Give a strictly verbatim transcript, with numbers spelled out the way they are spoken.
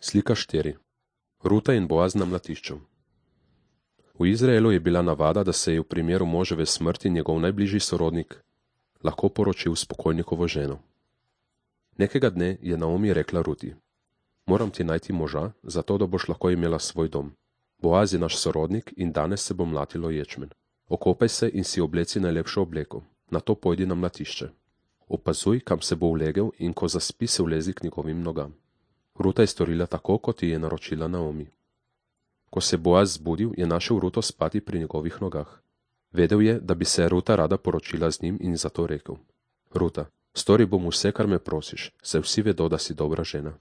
Slika štiri. Ruta in Boaz na mlatišču. V Izraelu je bila navada, da se je v primeru moževe smrti njegov najbližji sorodnik lahko poročil s pokojnikovo ženo. Nekega dne je Naomi rekla Ruti: Moram ti najti moža, zato da boš lahko imela svoj dom. Boaz je naš sorodnik in danes se bo mlatilo ječmen. Okopaj se in si obleci najlepšo obleko, nato pojdi na mlatišče. Opazuj, kam se bo ulegel, in ko zaspi, se vlezi k njegovim nogam. Ruta je storila tako, kot ji je naročila Naomi. Ko se je Boaz zbudil, je našel Ruto spati pri njegovih nogah. Vedel je, da bi se Ruta rada poročila z njim, in zato rekel: Ruta, stori bom vse, kar me prosiš, saj vsi vedo, da si dobra žena.